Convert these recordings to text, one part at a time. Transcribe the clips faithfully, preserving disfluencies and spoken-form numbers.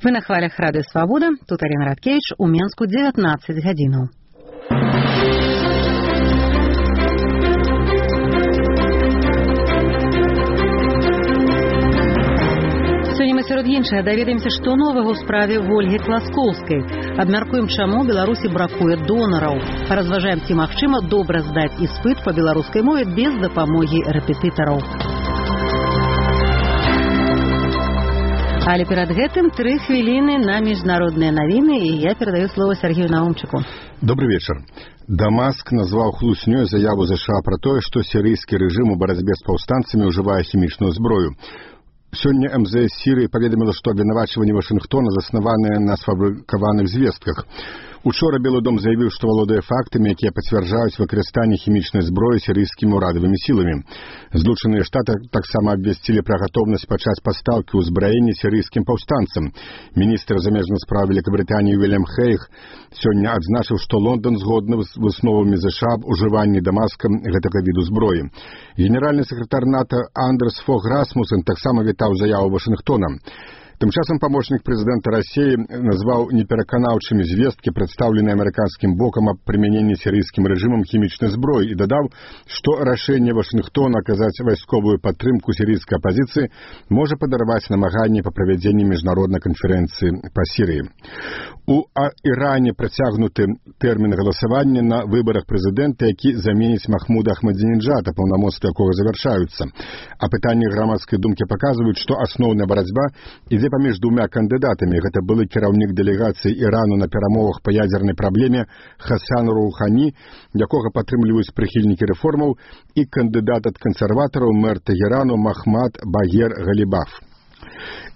Вы на хвалях Радыё Свабода, тут Арина Радкевич, у Менску дзевятнаццаць гадзінаў. Сёння мы сярод іншага даведаемся, што новага ў справе Вольгі Класкоўскай. Абмяркуем, чаму Беларусі бракуе донараў. Паразважаем, ці магчыма добра здаць іспыт па беларускай мове без дапамогі рэпетытараў. Але перад гэтым тры хвіліны на міжнародныя навіны, і я перадаю слово Сергею Наумчыку. Добрый вечер. Дамаск назваў хлуснёй заяву США пра тое, што сірыйскі рэжым у барацьбе з паўстанцамі ўжывае хімічную зброю. Сёння эм зэ эс Сірыі паведаміла, што абвінавачванні Вашынгтона заснаваныя на сфабрыкаваных звестках. Учора Белы дом заявіў, што валодае фактамі, якія пацвярджаюць выкарыстанне хімічнай зброі сірыйскімі ўрадавымі сіламі. Злучаныя Штаты таксама абвясцілі пра гатоўнасць пачаць пастаўкі ўзбраення сірыйскім паўстанцам. Міністр замежных спраў Великабрытаніі Уильям Хейг сёння адзначыў, што Лондан згодны з высновамі ЗША аб ужыванні Дамаскам гэтага віду зброі. Генеральны сакратар НАТО Андерс Фог Расмусен таксама вітаў заяву Вашынгтона. Тым часам памочнік прэзідэнта Расіі назваў непераканаўчымі звесткі, прадстаўленыя амерыканскім бокам аб прымяненні сірыйскім рэжымам хімічнай зброі, і дадаў, што рашэнне Вашынгтона аказаць вайсковую падтрымку сірыйскай апазіцыі можа падарваць намаганні па правядзенні міжнароднай канферэнцыі па Сірыі. У Іране працягнуты тэрмін галасавання на выбарах прэзідэнта, які заменіць Махмуда Ахмадзінеджада, паўнамоцтвы якога завяршаюцца. Апытанні грамадскай думкі паказваюць, што асноўная барацьба ідзе паміж двумя кандыдатамі. Гэта былы кіраўнік дэлегацыі Ірану на перамовах па ядзернай праблеме Хасан Роухані, якога падтрымліваюць прыхільнікі рэформаў, і кандыдат ад кансерватараў мэр Тэгерану Махмад Багер Галібаф.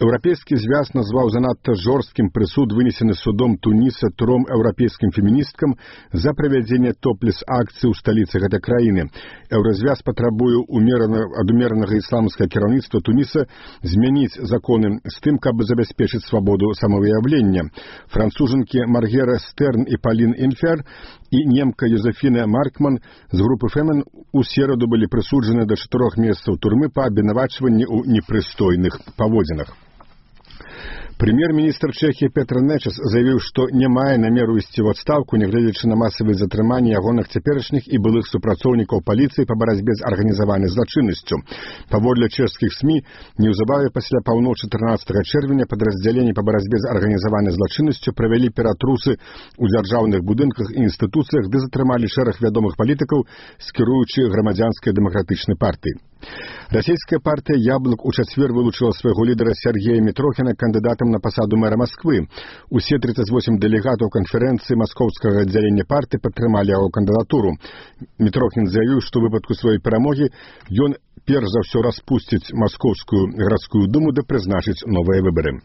Еўрапейскі звяз назваў занадта жорсткім прысуд, вынесены судом Туніса тром еўрапейскім феміністкам за правядзенне топлес-акцыі ў сталіцы гэтай краіны. Еўразвяз патрабуе ад умеранага ісламскага кіраўніцтва Туніса змяніць законы з тым, каб забяспечыць свабоду самавыяўлення. Францужанкі Маргера Стерн і Палін Інфер і немка Юзефіна Маркман з групы Фемен у сераду былі прысуджаны да чатырох месяцаў турмы па абвінавачванні ў непрыстойных паводзінах. Прэм'ер-міністр Чэхіі Петр Нечас заявіў, што не мае намеру ісці ў адстаўку, нягледзячы на масавыя затрыманні ягоных цяперашніх і былых супрацоўнікаў паліцыі па барацьбе з арганізаванай злачыннасцю. Паводле чэшскіх СМІ, неўзабаве пасля паўночы трынаццатага чэрвеня падраздзяленні па барацьбе з арганізаванай злачыннасцю правялі ператрусы ў дзяржаўных будынках і інстытуцыях, ды затрымалі шэраг вядомых палітыкаў з кіруючай грамадзянскай дэмакратычнай партыі. Расійская партыя «Яблык» у чацвер вылучыла свайго лідара Сергея Мітрохіна кандыдатам на пасаду мэра Масквы. Усе тридцать восемь дэлегатаў канферэнцыі маскоўскага аддзялення партыі падтрымалі яго кандыдатуру. Мітрохін заявіў, што ў выпадку сваёй перамогі ён перш за ўсё распусціць маскоўскую гарадскую думу да прызначыць новыя выбары.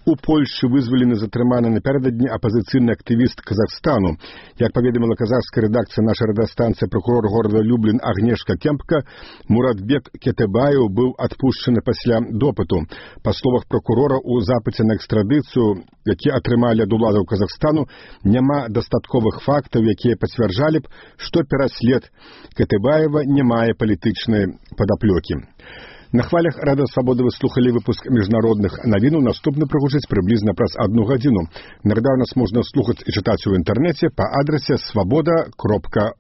У Польшчы вызвалены затрыманы напярэдадні апазіцыйны актывіст Казахстану. Як паведаміла казахская рэдакцыя нашай радыёстанцыі, пракурор горада Люблін Агнешка Кемпка, Муратбек Кетебаев быў адпушчаны пасля допыту. Па словах прокурора, у запыце на экстрадыцыю, які атрымалі ад уладаў Казахстану, няма дастатковых фактаў, якія пацвярджалі б, што пераслед Кетебаева не мае палітычнай падаплёкі. На хвалях Радыё Свабода вы слухалі выпуск міжнародных навінаў. Наступны прагучыць прыблізна праз адну гадзіну. Нагадаю, нас можна слухаць і чытаць у інтэрнэце па адрасе свабода кропка